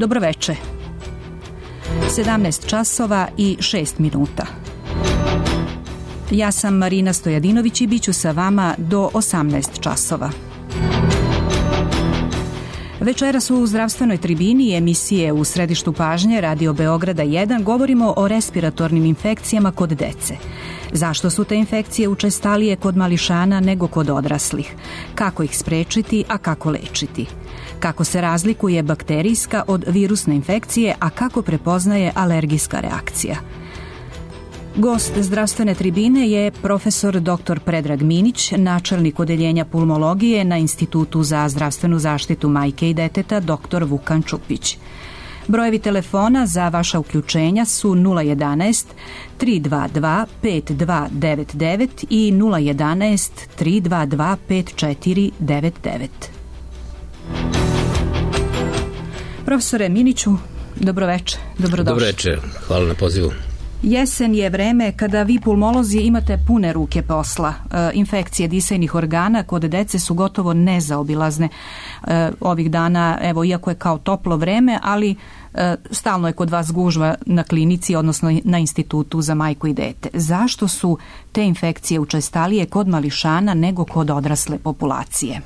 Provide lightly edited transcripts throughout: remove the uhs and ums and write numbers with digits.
Dobroveče. 17 časova i 6 minuta. Ja sam Marina Stojadinović i bit ću sa vama do 18 časova. Večeras u zdravstvenoj tribini emisije U središtu pažnje Radio Beograda 1 govorimo o respiratornim infekcijama kod dece. Zašto su te infekcije učestalije kod mališana nego kod odraslih? Kako ih sprečiti, a kako lečiti? Kako se razlikuje bakterijska od virusne infekcije, a kako prepoznaje alergijska reakcija? Gost zdravstvene tribine je profesor dr. Predrag Minić, načelnik odeljenja pulmologije na Institutu za zdravstvenu zaštitu majke i deteta dr. Vukan Čupić. Brojevi telefona za vaša uključenja su 011 322 5299 i 011 322 5499. Profesore Miniću, dobroveče, dobrodošli. Dobroveče, hvala na pozivu. Jesen je vreme kada vi pulmolozi imate pune ruke posla. Infekcije disajnih organa kod dece su gotovo nezaobilazne ovih dana, evo, iako je kao toplo vreme, ali stalno je kod vas gužva na klinici, odnosno na Institutu za majku i dete. Zašto su te infekcije učestalije kod mališana nego kod odrasle populacije?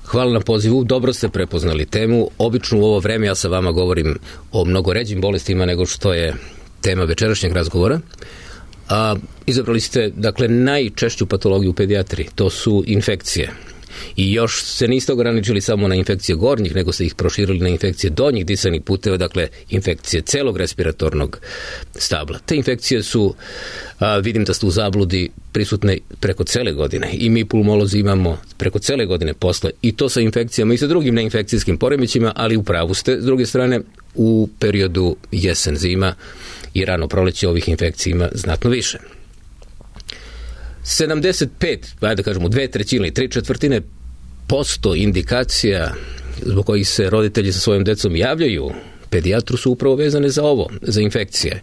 Hvala na pozivu, dobro ste prepoznali temu. Obično u ovo vreme ja sa vama govorim o mnogo ređim bolestima nego što je tema večerašnjeg razgovora. Izabrali ste, dakle, najčešću patologiju u pedijatriji, to su infekcije. I još se niste ograničili samo na infekcije gornjih, nego ste ih proširili na infekcije donjih disajnih puteva, dakle infekcije celog respiratornog stabla. Te infekcije su, vidim da ste u zabludi, prisutne preko cele godine i mi pulmolozi imamo preko cele godine posle i to sa infekcijama i sa drugim neinfekcijskim poremećima, ali u pravu ste, s druge strane, u periodu jesen-zima i rano proleće ovih infekcija ima znatno više. 75, da kažemo 2/3 ili 3/4% indikacija zbog kojih se roditelji sa svojom decom javljaju pedijatru su upravo vezane za ovo, za infekcije.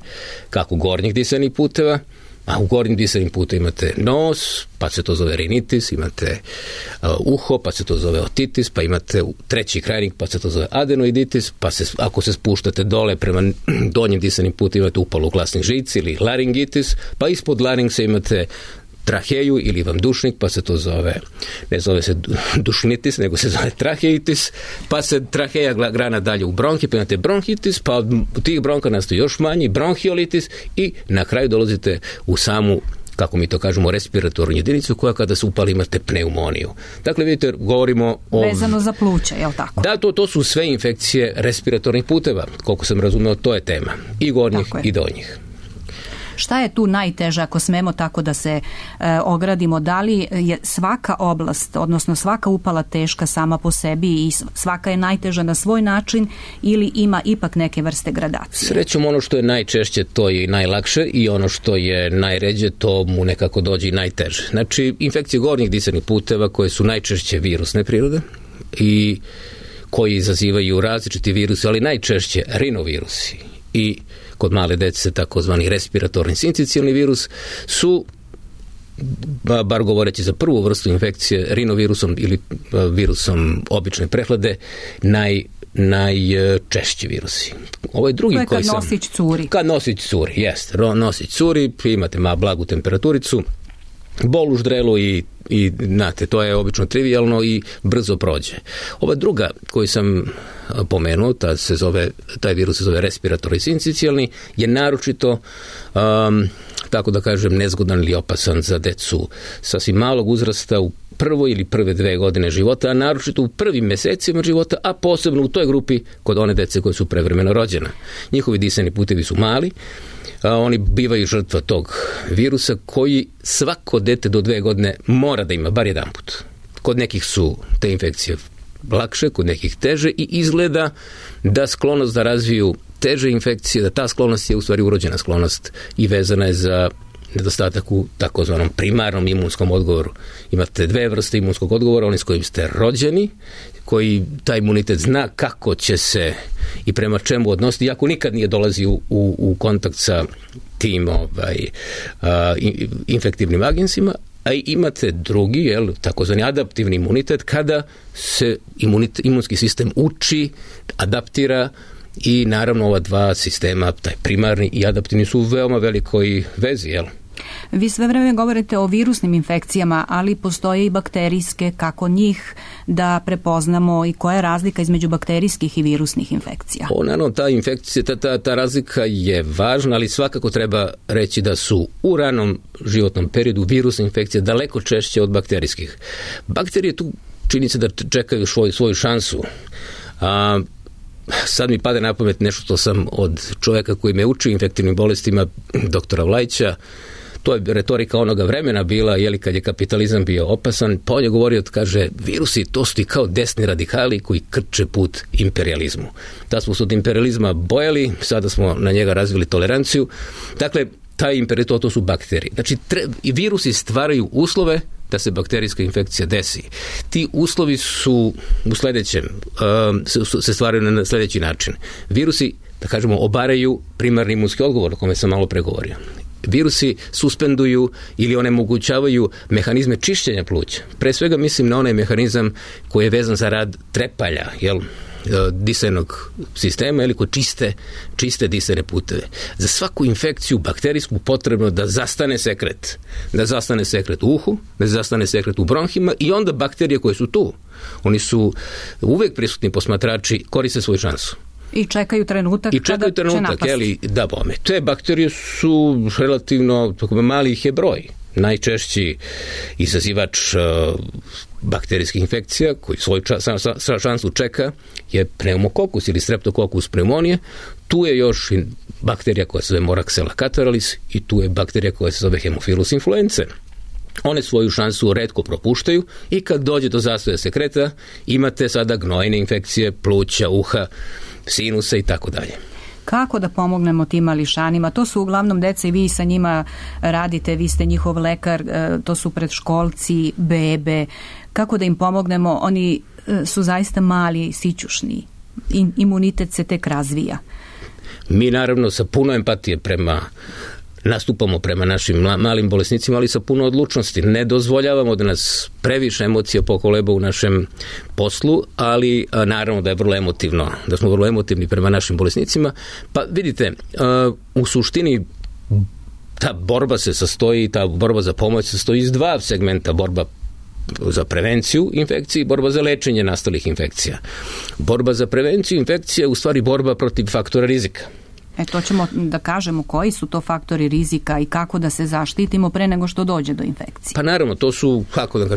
Kako gornjih disajnih puteva, a u gornjim disajnim putevima imate nos, pa se to zove rinitis, imate uho, pa se to zove otitis, pa imate treći krajnik, pa se to zove adenoiditis, pa se, ako se spuštate dole prema donjim disajnim putevima imate upalu glasnih žici ili laringitis, pa ispod laringsa imate traheju ili vamdušnik, pa se to zove, ne zove se dušnitis, nego se zove traheitis, pa se traheja grana dalje u bronhi, pa imate bronhitis, pa od tih bronka nastoji još manji, bronhiolitis i na kraju dolazite u samu, kako mi to kažemo, respiratornu jedinicu koja kada se upali imate pneumoniju. Dakle, vidite, govorimo o... Vezano za pluća, je li tako? Da, to su sve infekcije respiratornih puteva, koliko sam razumeo, to je tema, i gornjih i donjih. Šta je tu najteže, ako smemo tako da se ogradimo? Da li je svaka oblast, odnosno svaka upala teška sama po sebi i svaka je najteža na svoj način ili ima ipak neke vrste gradacije? Srećom, ono što je najčešće to je i najlakše i ono što je najređe to mu nekako dođe i najteže. Znači, infekcije gornjih disajnih puteva koje su najčešće virusne prirode i koji izazivaju različiti virusi, ali najčešće rinovirusi i kod male dece takozvani respiratorni sincicijalni virus su, bar govoreći za prvu vrstu infekcije, rinovirusom ili virusom obične prehlade, najčešći virusi. Ovo je drugi to je kad nosić curi. Kad nosić curi, jeste. Nosić curi, imate blagu temperaturicu, bol u ždrelu i znate, to je obično trivijalno i brzo prođe. Ova druga koju sam pomenuo, taj virus se zove respiratorni sincicijalni, je naročito, tako da kažem, nezgodan ili opasan za decu sasvim malog uzrasta u prvoj ili prve 2 godine života, a naročito u prvim mesecima života, a posebno u toj grupi kod one dece koje su prevremeno rođena. Njihovi disajni putevi su mali, oni bivaju žrtva tog virusa koji svako dete do 2 godine mora da ima bar jedan put. Kod nekih su te infekcije lakše, kod nekih teže i izgleda da sklonost da razviju teže infekcije, da ta sklonost je u stvari urođena sklonost i vezana je za nedostatak u takozvanom primarnom imunskom odgovoru. Imate 2 vrste imunskog odgovora, oni s kojim ste rođeni, koji taj imunitet zna kako će se i prema čemu odnositi, iako nikad nije dolazi u kontakt sa tim infektivnim agensima, a imate drugi, takozvani adaptivni imunitet, kada se imunski sistem uči, adaptira i naravno ova dva sistema, taj primarni i adaptivni, su u veoma velikoj vezi, Vi sve vreme govorite o virusnim infekcijama, ali postoje i bakterijske, kako njih da prepoznamo i koja je razlika između bakterijskih i virusnih infekcija? Naravno, ta infekcija, ta razlika je važna, ali svakako treba reći da su u ranom životnom periodu virusne infekcije daleko češće od bakterijskih. Bakterije tu čini se da čekaju svoju šansu. Sad mi pade na pamet nešto što sam od čovjeka koji me uči infektivnim bolestima, doktora Vlajića. To je retorika onoga vremena bila, kad je kapitalizam bio opasan, pa on je govorio, kaže, virusi to su ti kao desni radikali koji krče put imperijalizmu. Da smo se od imperijalizma bojali, sada smo na njega razvili toleranciju. Dakle, taj imperijal, to su bakterije. Znači, virusi stvaraju uslove da se bakterijska infekcija desi. Ti uslovi su u sljedećem, se stvaraju na sljedeći način. Virusi, da kažemo, obaraju primarni imunski odgovor, o kome sam malo pregovorio. Virusi suspenduju ili onemogućavaju mehanizme čišćenja pluća. Pre svega mislim na onaj mehanizam koji je vezan za rad trepalja, disajnog sistema, koji čiste disajne puteve. Za svaku infekciju bakterijsku potrebno da zastane sekret. Da zastane sekret u uhu, da zastane sekret u bronhima i onda bakterije koje su tu, oni su uvijek prisutni posmatrači, koriste svoju šansu. I čekaju trenutak kada će napasti. Da, bome. Te bakterije su relativno, mali ih je broj. Najčešći izazivač bakterijskih infekcija koji svoju šansu čeka je pneumokokus ili streptokokus pneumonije. Tu je još i bakterija koja se zove Moraxella catarrhalis i tu je bakterija koja se zove Haemophilus influenzae. One svoju šansu retko propuštaju i kad dođe do zastoja sekreta imate sada gnojne infekcije pluća, uha, sinusa i tako dalje. Kako da pomognemo tim mališanima? To su uglavnom deca i vi sa njima radite, vi ste njihov lekar, to su predškolci, bebe. Kako da im pomognemo? Oni su zaista mali, sićušni. Imunitet se tek razvija. Mi naravno sa puno empatije nastupamo prema našim malim bolesnicima, ali sa puno odlučnosti. Ne dozvoljavamo da nas previše emocija pokoleba u našem poslu, ali naravno da je vrlo emotivno, da smo vrlo emotivni prema našim bolesnicima. Pa vidite, u suštini ta borba za pomoć se sastoji iz dva segmenta: borba za prevenciju infekcije i borba za lečenje nastalih infekcija. Borba za prevenciju infekcije je u stvari borba protiv faktora rizika. To ćemo da kažemo koji su to faktori rizika i kako da se zaštitimo pre nego što dođe do infekcije. Pa naravno, to su,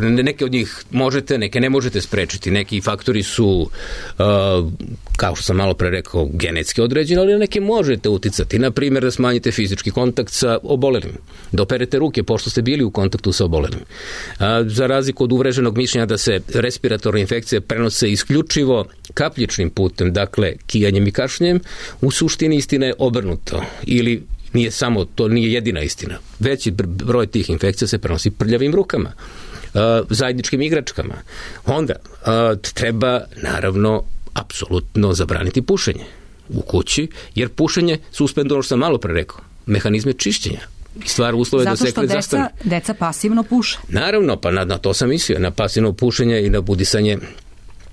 neke od njih možete, neke ne možete sprečiti. Neki faktori su, kao što sam malo pre rekao, genetski određeni, ali neke možete uticati. Na primjer, da smanjite fizički kontakt sa obolelim, da operete ruke pošto ste bili u kontaktu sa obolelim. Za razliku od uvreženog mišljenja da se respiratorne infekcije prenose isključivo kapljičnim putem, dakle kijanjem i kašljem, u suštini istina je obrnuto, ili to nije jedina istina. Veći broj tih infekcija se prenosi prljavim rukama, zajedničkim igračkama. Onda treba naravno apsolutno zabraniti pušenje u kući, jer pušenje suspenduje, ono što sam malo pre rekao, mehanizme čišćenja. Stvar uslove da sekret zastane. Zato što deca pasivno puše. Naravno, pa na to sam mislio, na pasivno pušenje i na budisanje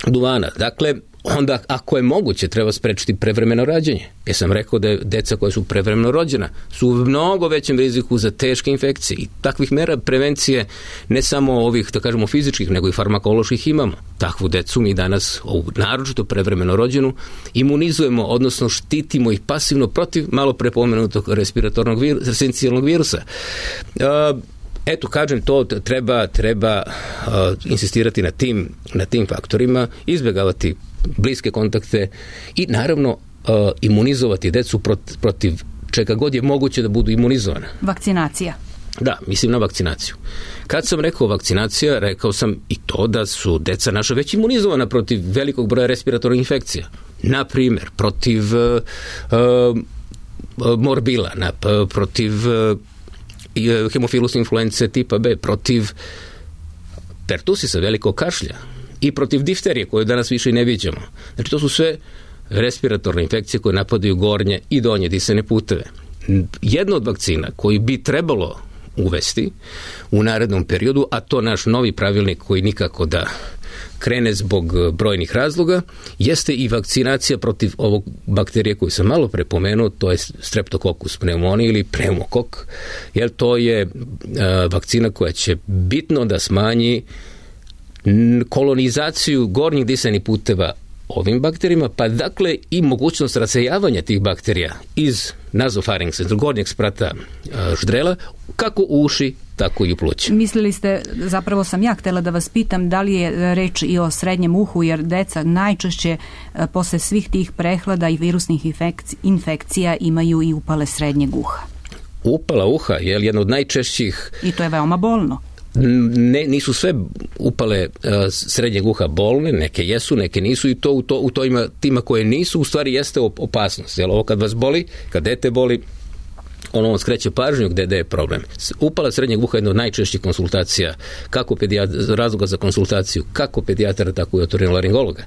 duvana. Dakle, onda ako je moguće treba sprečiti prevremeno rađanje. Ja sam rekao da je deca koja su prevremeno rođena su u mnogo većem riziku za teške infekcije i takvih mera prevencije, ne samo ovih, da kažemo, fizičkih, nego i farmakoloških imamo. Takvu decu mi danas, naročito prevremeno rođenu, imunizujemo, odnosno štitimo ih pasivno protiv malo prepomenutog respiratornog esencijalnog virusa. Kažem, to treba insistirati na tim faktorima, izbjegavati bliske kontakte i naravno imunizovati decu protiv čega god je moguće da budu imunizovana. Vakcinacija. Da, mislim na vakcinaciju. Kad sam rekao vakcinacija, rekao sam i to da su deca naša već imunizovana protiv velikog broja respiratornih infekcija. Na primjer, protiv morbila, protiv Haemophilus influenzae tipa B, protiv pertusisa, velikog kašlja i protiv difterije koju danas više i ne viđamo. Znači to su sve respiratorne infekcije koje napadaju gornje i donje disajne puteve. Jedna od vakcina koju bi trebalo uvesti u narednom periodu, a to naš novi pravilnik koji nikako da krene zbog brojnih razloga, jeste i vakcinacija protiv ovog bakterije koju sam malo prepomenuo, to je Streptococcus pneumoniae ili pneumokok, jer to je vakcina koja će bitno da smanji kolonizaciju gornjih disajnih puteva ovim bakterijama, pa dakle i mogućnost rasejavanja tih bakterija iz nazofaringsa, iz gornjeg sprata ždrela, kako u uši, tako i u pluća. Mislili ste, zapravo sam ja htjela da vas pitam, da li je reč i o srednjem uhu, jer deca najčešće posle svih tih prehlada i virusnih infekcija imaju i upale srednjeg uha. Upala uha je jedna od najčešćih... I to je veoma bolno. Nisu sve upale srednjeg uha bolne, neke jesu, neke nisu, i to u tima koje nisu, u stvari jeste opasnost. Jer ovo kad vas boli, kad dete boli, ono vam skreće pažnju gde je problem. Upala srednjeg uha je jedna od najčešćih konsultacija, razloga za konsultaciju, kako pedijatara, tako i otorinolaringologa.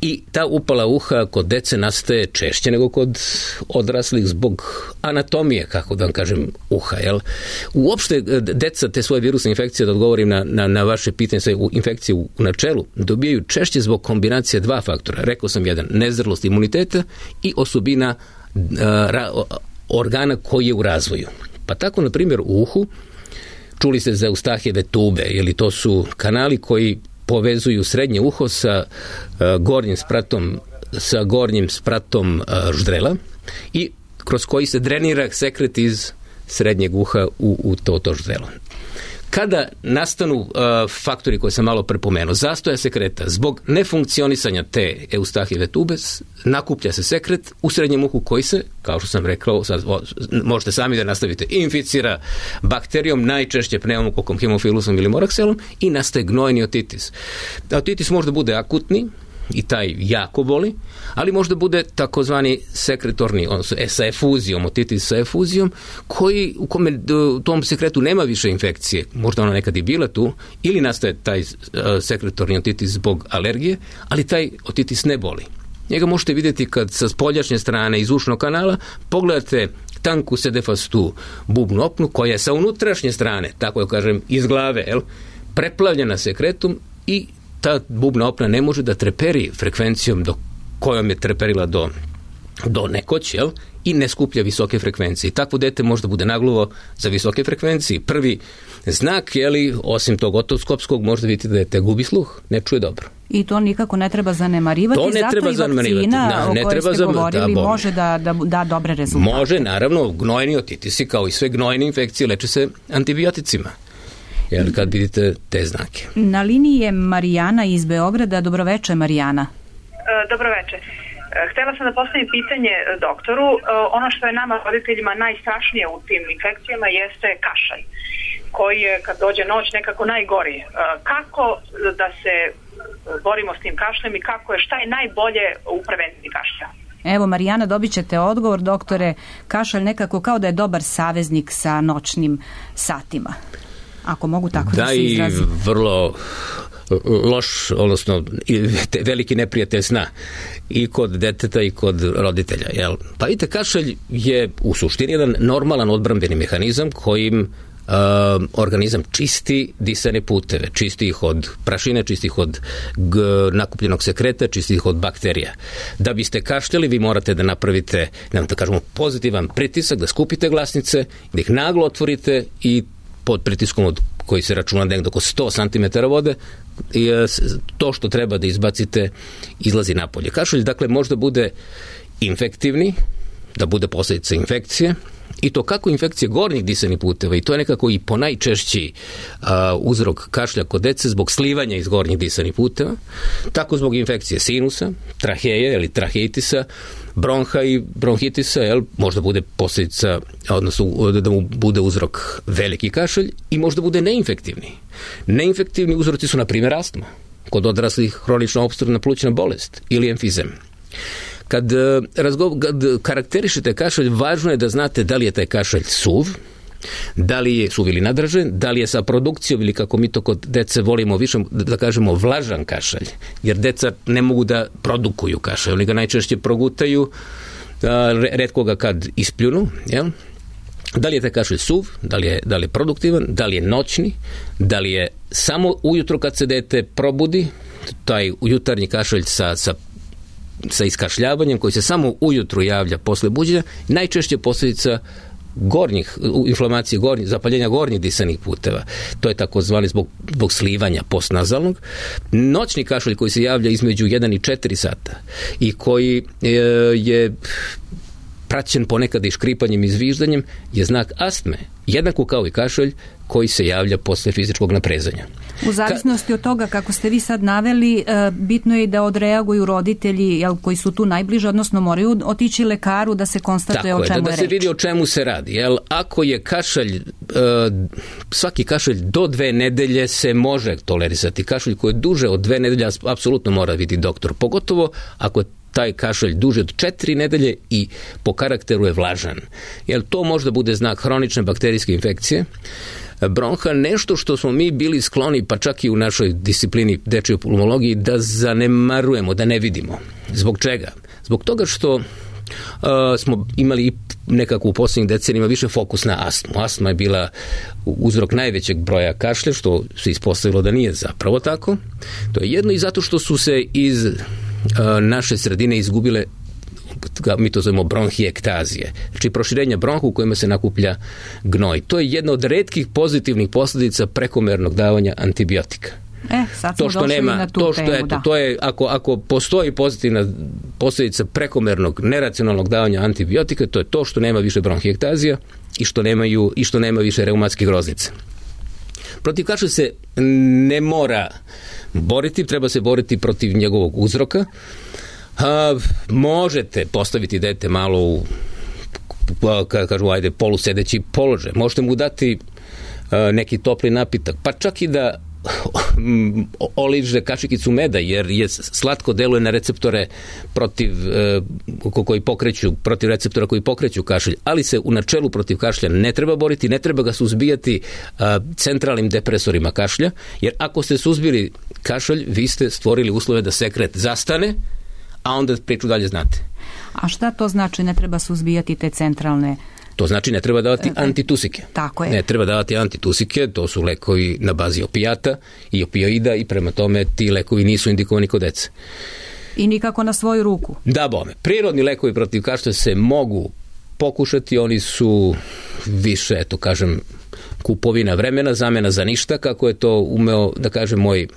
I ta upala uha kod dece nastaje češće nego kod odraslih zbog anatomije, kako da vam kažem, uha. Jel? Uopšte deca te svoje virusne infekcije, da odgovorim na vaše pitanje, sve infekcije u načelu, dobijaju češće zbog kombinacije dva faktora. Rekao sam jedan, nezrlost imuniteta i osobina organa koji je u razvoju. Pa tako, na primjer, u uhu, čuli ste za Eustahijeve tube, ili to su kanali koji povezuju srednje uho sa gornjim spratom ždrela i kroz koji se drenira sekret iz srednjeg uha u to ždrelo. Kada nastanu faktori koje sam malo prepomenuo, zastoja sekreta, zbog nefunkcionisanja te Eustahijeve tube, nakuplja se sekret u srednjem uhu koji se, kao što sam rekao, možete sami da nastavite, inficira bakterijom, najčešće pneumokokom, hemofilusom ili morakselom, i nastaje gnojni otitis. Otitis možda bude akutni i taj jako boli, ali možda bude takozvani sekretorni, odnosno sa efuzijom, otitis sa efuzijom, u kome u tom sekretu nema više infekcije, možda ona nekad i bila tu, ili nastaje taj sekretorni otitis zbog alergije, ali taj otitis ne boli. Njega možete vidjeti kad sa spoljašnje strane iz ušnog kanala pogledate tanku sedefastu bubnu opnu koja je sa unutrašnje strane, tako da kažem, iz glave, preplavljena sekretom, i ta bubna opna ne može da treperi frekvencijom do kojom je treperila do nekoć, i ne skuplja visoke frekvencije. Takvo dete možda bude nagluvo za visoke frekvencije. Prvi znak, osim tog otoskopskog, možda vidite da dete gubi sluh, ne čuje dobro. I to nikako ne treba zanemarivati, zato i vakcina o kojoj ste govorili može da dobre rezultate. Može, naravno, gnojni otitisi, kao i sve gnojne infekcije, leče se antibioticima. Jer kad vidite te znake. Na liniji je Marijana iz Beograda. Dobroveče, Marijana. Dobroveče. Htjela sam da postavim pitanje doktoru. Ono što je nama roditeljima najstrašnije u tim infekcijama jeste kašalj, koji je kad dođe noć nekako najgori. Kako da se borimo s tim kašljem i šta je najbolje u prevenciji kašlja? Evo, Marijana, dobit ćete odgovor, doktore. Kašalj nekako kao da je dobar saveznik sa noćnim satima. Ako mogu tako da se izrazim. Da, i vrlo loš, odnosno veliki neprijatelj sna i kod deteta i kod roditelja. Jel? Pa vidite, kašalj je u suštini jedan normalan odbrambeni mehanizam kojim organizam čisti disajne puteve, čisti ih od prašine, čisti ih od nakupljenog sekreta, čisti ih od bakterija. Da biste kašljali, vi morate da napravite, da kažemo, pozitivan pritisak, da skupite glasnice, da ih naglo otvorite i pod pritiskom koji se računa negdje oko 100 cm vode, to što treba da izbacite izlazi napolje. Kašalj, dakle, možda bude infektivni, da bude posljedica infekcije, i to kako infekcije gornjih disajnih puteva, i to je nekako i ponajčešći uzrok kašlja kod dece zbog slivanja iz gornjih disajnih puteva, tako zbog infekcije sinusa, traheje ili traheitisa, bronha i bronhitisa, možda bude posljedica, odnosno da mu bude uzrok veliki kašalj, i možda bude neinfektivni. Neinfektivni uzroci su, na primjer, astma, kod odraslih hronična opstruktivna plućna bolest ili emfizem. Kad karakterišete kašalj, važno je da znate da li je taj kašalj suv, da li je suv ili nadražen, da li je sa produkcijom ili, kako mi to kod dece volimo više da kažemo, vlažan kašalj, jer deca ne mogu da produkuju kašalj, oni ga najčešće progutaju, retko ga kad ispljunu, Da li je taj kašalj suv, da li je produktivan, da li je noćni, da li je samo ujutro kad se dete probudi, taj jutarnji kašalj sa iskašljavanjem koji se samo ujutru javlja posle buđenja, najčešće posljedica inflamacije zapaljenja gornjih disanih puteva. To je takozvani zbog slivanja postnazalnog. Noćni kašalj koji se javlja između 1 i 4 sata i koji je praćen ponekad i škripanjem i zviždanjem je znak astme, jednako kao i kašalj koji se javlja posle fizičkog naprezanja. U zavisnosti od toga kako ste vi sad naveli, bitno je da odreaguju roditelji koji su tu najbliže, odnosno moraju otići lekaru da se konstatuje o čemu je reč. Da se vidi o čemu se radi. Ako je kašalj, svaki kašalj do 2 nedelje se može tolerisati. Kašalj koji je duže od 2 nedelje apsolutno mora vidjeti doktor. Pogotovo ako je taj kašalj duže od 4 nedelje i po karakteru je vlažan. Jer to možda bude znak hronične bakterijske infekcije bronha, nešto što smo mi bili skloni, pa čak i u našoj disciplini dečjoj pulmologiji, da zanemarujemo, da ne vidimo. Zbog čega? Zbog toga što smo imali nekako u posljednjih decenijima više fokus na astmu. Astma je bila uzrok najvećeg broja kašlja, što se ispostavilo da nije zapravo tako. To je jedno i zato što su se iz naše sredine izgubile, mi to zovemo bronhiektazije, znači proširenja bronha u kojima se nakuplja gnoj. To je jedna od retkih pozitivnih posljedica prekomernog davanja antibiotika. Sad smo došli na tu temu. To je, ako postoji pozitivna posljedica prekomernog neracionalnog davanja antibiotika, to je to što nema više bronhiektazija i što nema više reumatskih groznica. Protiv kašlja se ne mora boriti, treba se boriti protiv njegovog uzroka. Možete postaviti dete malo u polusedeći položaj. Možete mu dati neki topli napitak, pa čak i da oliže kašikicu meda, jer je slatko deluje na receptore protiv receptora koji pokreću kašalj, ali se u načelu protiv kašlja ne treba boriti, ne treba ga suzbijati centralnim depresorima kašlja, jer ako ste suzbili kašalj, vi ste stvorili uslove da sekret zastane, a onda priču dalje znate. A šta to znači ne treba suzbijati te centralne? To znači ne treba davati antitusike. Tako je. Ne treba davati antitusike, to su lekovi na bazi opijata i opioida i prema tome ti lekovi nisu indikovani kod dece. I nikako na svoju ruku. Da, bome. Prirodni lekovi protiv kašlja se mogu pokušati, oni su više, eto kažem, kupovina vremena, zamena za ništa, kako je to umeo da kaže moj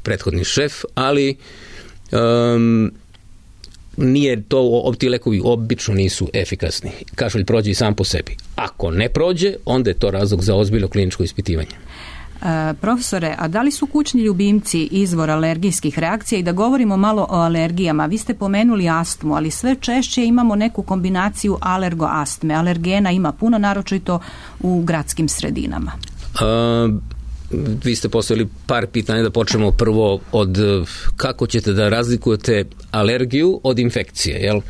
prethodni šef, ali nije to, ti lekovi obično nisu efikasni. Kašalj prođe i sam po sebi. Ako ne prođe, onda je to razlog za ozbiljno kliničko ispitivanje. Profesore, a da li su kućni ljubimci izvor alergijskih reakcija? I da govorimo malo o alergijama. Vi ste pomenuli astmu, ali sve češće imamo neku kombinaciju alergoastme. Alergena ima puno, naročito u gradskim sredinama. Vi ste postavili par pitanja, da počnemo prvo od kako ćete da razlikujete alergiju od infekcije, jel?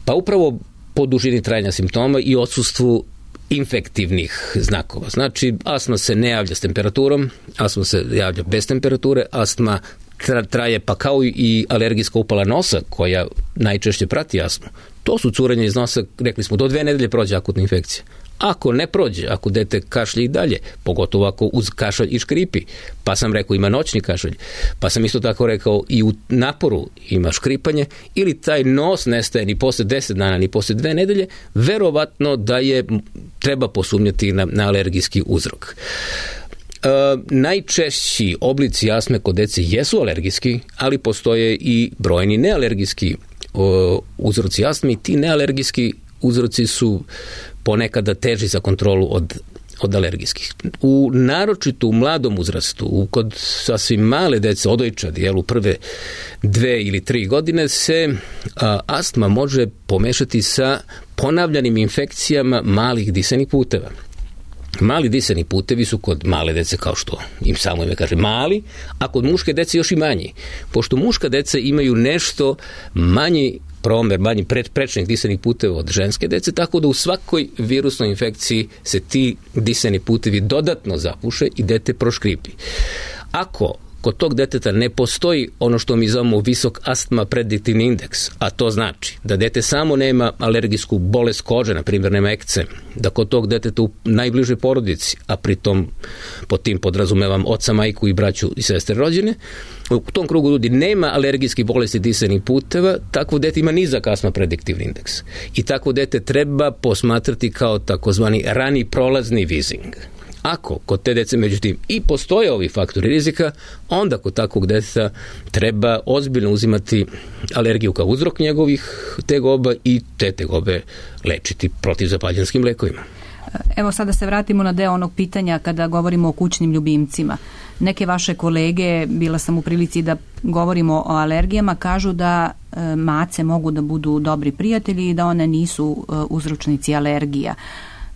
Pa upravo po dužini trajanja simptoma i odsustvu infektivnih znakova. Znači, astma se ne javlja s temperaturom, astma se javlja bez temperature, astma traje pa kao i alergijska upala nosa koja najčešće prati astmu. To su curenje iz nosa, rekli smo, do 2 nedelje prođe akutna infekcija. Ako ne prođe, ako dete kašlje i dalje, pogotovo ako uz kašalj i škripi, pa sam rekao ima noćni kašalj, pa sam isto tako rekao i u naporu ima škripanje, ili taj nos nestaje ni posle 10 dana, ni posle 2 nedelje, verovatno da je treba posumnjati na alergijski uzrok. Najčešći oblici astme kod dece jesu alergijski, ali postoje i brojni nealergijski uzroci astme i ti nealergijski uzroci su ponekada teži za kontrolu od alergijskih. Naročito u mladom uzrastu, kod sasvim male dece, odojčadi, u prve 2 ili 3 godine se astma može pomešati sa ponavljanim infekcijama malih disenih puteva. Mali disani putevi su kod male dece, kao što im samo ime kaže, mali, a kod muške dece još i manji. Pošto muška deca imaju nešto manji promer, manji prečnih disanih puteva od ženske dece, tako da u svakoj virusnoj infekciji se ti disani putevi dodatno zapuše i dete proškripi. Ako kod tog deteta ne postoji ono što mi zovemo visok astma prediktivni indeks, a to znači da dete samo nema alergijsku bolest kože, na primjer nema ekcem, da kod tog deteta u najbližoj porodici, a pritom pod tim podrazumevam oca, majku i braću i sestre rođene, u tom krugu ljudi nema alergijskih bolesti disanih puteva, takvo dete ima nizak astma prediktivni indeks. I takvo dete treba posmatrati kao takozvani rani prolazni vizing. Ako kod te dece, međutim, i postoje ovi faktori rizika, onda kod takvog deteta treba ozbiljno uzimati alergiju kao uzrok njegovih tegoba i te tegobe lečiti protivzapaljenskim lekovima. Evo sada se vratimo na deo onog pitanja kada govorimo o kućnim ljubimcima. Neke vaše kolege, bila sam u prilici da govorimo o alergijama, kažu da mace mogu da budu dobri prijatelji i da one nisu uzročnici alergija.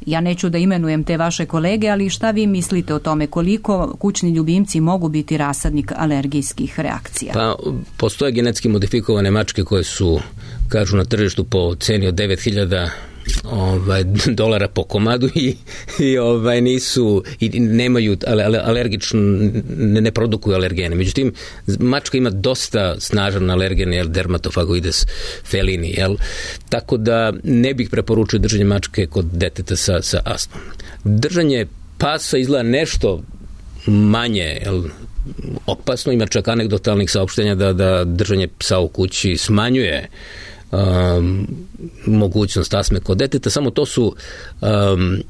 Ja neću da imenujem te vaše kolege, ali šta vi mislite o tome? Koliko kućni ljubimci mogu biti rasadnik alergijskih reakcija? Pa, postoje genetski modifikovane mačke koje su, kažu, na tržištu po ceni od $9.000 dolara po komadu i nisu i nemaju alergično, ne produkuju alergene. Međutim, mačka ima dosta snažan alergen, dermatofagoides felini, tako da ne bih preporučio držanje mačke kod deteta sa astmom. Držanje pasa izgleda nešto manje opasno, ima čak anegdotalnih saopštenja da držanje psa u kući smanjuje mogućnost astme kod deteta, samo to su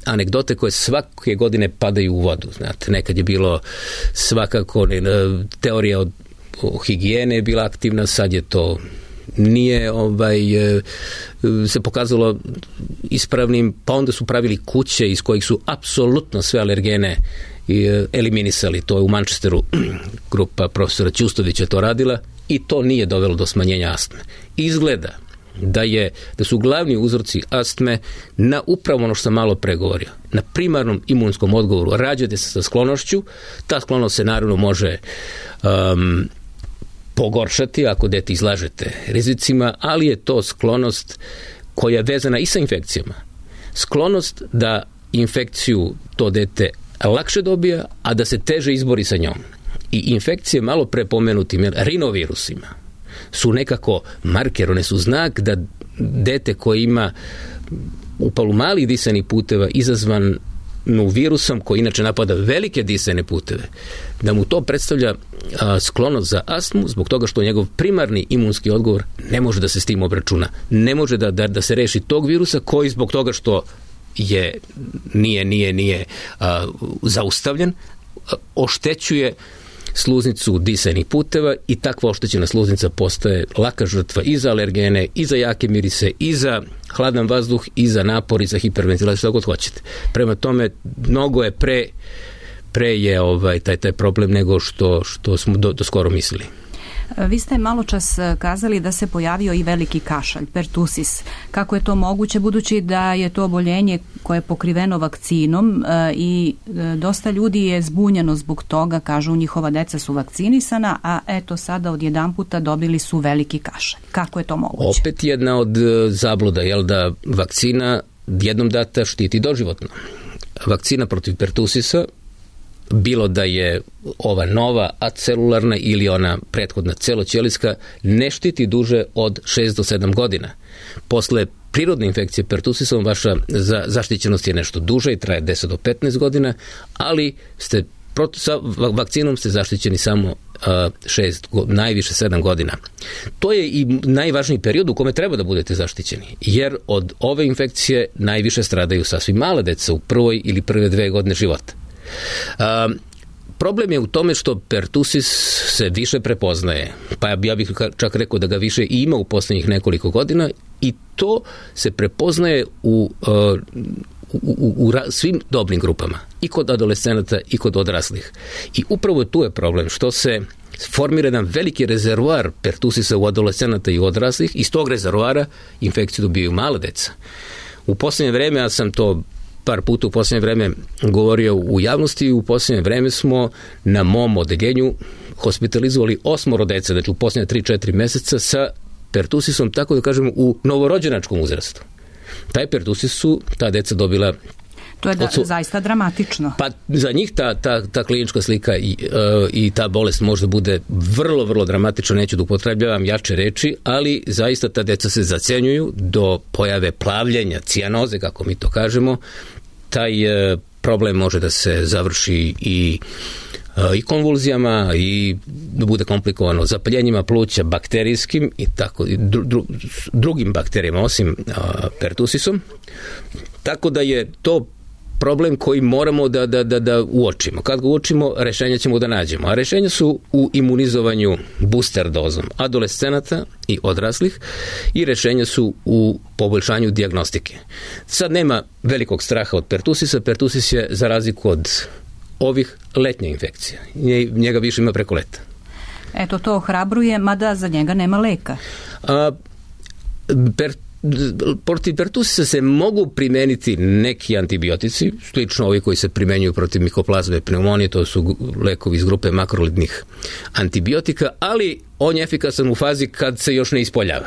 anegdote koje svake godine padaju u vodu. Znate, nekad je bilo svakako teorija o higijene je bila aktivna, sad je to nije se pokazalo ispravnim, pa onda su pravili kuće iz kojih su apsolutno sve alergene eliminisali. To je u Manchesteru grupa profesora Ćustovića to radila i to nije dovelo do smanjenja astme. Izgleda da su glavni uzroci astme na upravo ono što sam malo pregovorio, na primarnom imunskom odgovoru. Rađate se sa sklonošću, ta sklonost se naravno može pogoršati ako dete izlažete rizicima, ali je to sklonost koja je vezana i sa infekcijama. Sklonost da infekciju to dete lakše dobija, a da se teže izbori sa njom. I infekcije malo pre pomenutim rinovirusima su nekako marker, one su znak da dete koje ima upalu malih disanih puteva izazvan virusom koji inače napada velike disajne puteve, da mu to predstavlja sklonost za astmu zbog toga što njegov primarni imunski odgovor ne može da se s tim obračuna. Ne može da se reši tog virusa koji zbog toga što nije zaustavljen, oštećuje sluznicu disajnih puteva i takva oštećena sluznica postaje laka žrtva i za alergene, i za jake mirise, i za hladan vazduh, i za napor, i za hiperventilaciju, što god hoćete. Prema tome, mnogo je pre je taj problem nego što smo do skoro mislili. Vi ste malo čas kazali da se pojavio i veliki kašalj, pertusis. Kako je to moguće, budući da je to oboljenje koje je pokriveno vakcinom i dosta ljudi je zbunjeno zbog toga, kažu njihova deca su vakcinisana, a eto sada odjedanputa dobili su veliki kašalj. Kako je to moguće? Opet jedna od zabluda, da vakcina jednom data štiti doživotno. Vakcina protiv pertusisa, bilo da je ova nova acelularna ili ona prethodna celoćelijska, ne štiti duže od 6 do 7 godina. Posle prirodne infekcije pertusisom vaša zaštićenost je nešto duže i traje 10 do 15 godina, ali sa vakcinom ste zaštićeni samo 6, najviše 7 godina. To je i najvažniji period u kome treba da budete zaštićeni, jer od ove infekcije najviše stradaju sasvim mala deca u prvoj ili prve 2 godine života. Problem je u tome što pertusis se više prepoznaje, pa ja bih čak rekao da ga više i ima u posljednjih nekoliko godina i to se prepoznaje u svim dobnim grupama, i kod adolescenata i kod odraslih. I upravo tu je problem što se formira jedan veliki rezervoar pertusisa u adolescenata i odraslih, iz tog rezervoara infekciju dobijaju mala deca. U posljednje vreme, ja sam to par puta u posljednje vreme govorio u javnosti, u posljednje vreme smo na mom odeljenju hospitalizovali 8 dece, znači u posljednje 3-4 meseca sa pertusisom, tako da kažemo u novorođenačkom uzrastu. Taj pertusis su ta deca dobila To je zaista dramatično. Pa za njih ta klinička slika i ta bolest možda bude vrlo, vrlo dramatična, neću da upotrebljavam jače reči, ali zaista ta deca se zacenjuju do pojave plavljenja, cijanoze, kako mi to kažemo. Taj problem može da se završi i konvulzijama i da bude komplikovano zapaljenjima pluća bakterijskim i tako drugim bakterijama osim pertusisom. Tako da je to problem koji moramo da uočimo. Kad ga uočimo, rešenja ćemo da nađemo. A rešenja su u imunizovanju booster dozom adolescenata i odraslih i rešenja su u poboljšanju dijagnostike. Sad nema velikog straha od pertusisa. Pertusis je za razliku od ovih letnja infekcija. Njega više ima preko leta. Eto, to ohrabruje, mada za njega nema leka. Protiv pertusisa se mogu primeniti neki antibiotici, slično ovi koji se primenjuju protiv mikoplazme pneumonije, to su lekovi iz grupe makrolidnih antibiotika, ali on je efikasan u fazi kad se još ne ispoljava.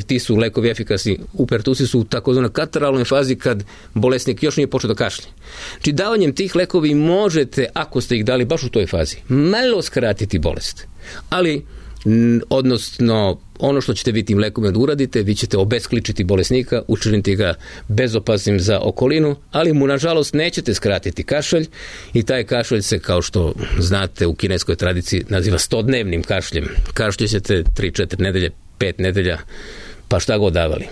Ti su lekovi efikasni u pertusisu u takozvanoj kataralnoj fazi kad bolesnik još nije počeo da kašlje. Znači davanjem tih lekovi možete, ako ste ih dali baš u toj fazi, malo skratiti bolest. Ali odnosno ono što ćete vi tim lekovima da uradite, vi ćete obeskličiti bolesnika, učiniti ga bezopasnim za okolinu, ali mu nažalost nećete skratiti kašalj i taj kašalj se, kao što znate, u kineskoj tradiciji naziva 100-dnevnim kašljem. Kašljećete 3-4 nedelje, 5 nedelja, pa šta god davali.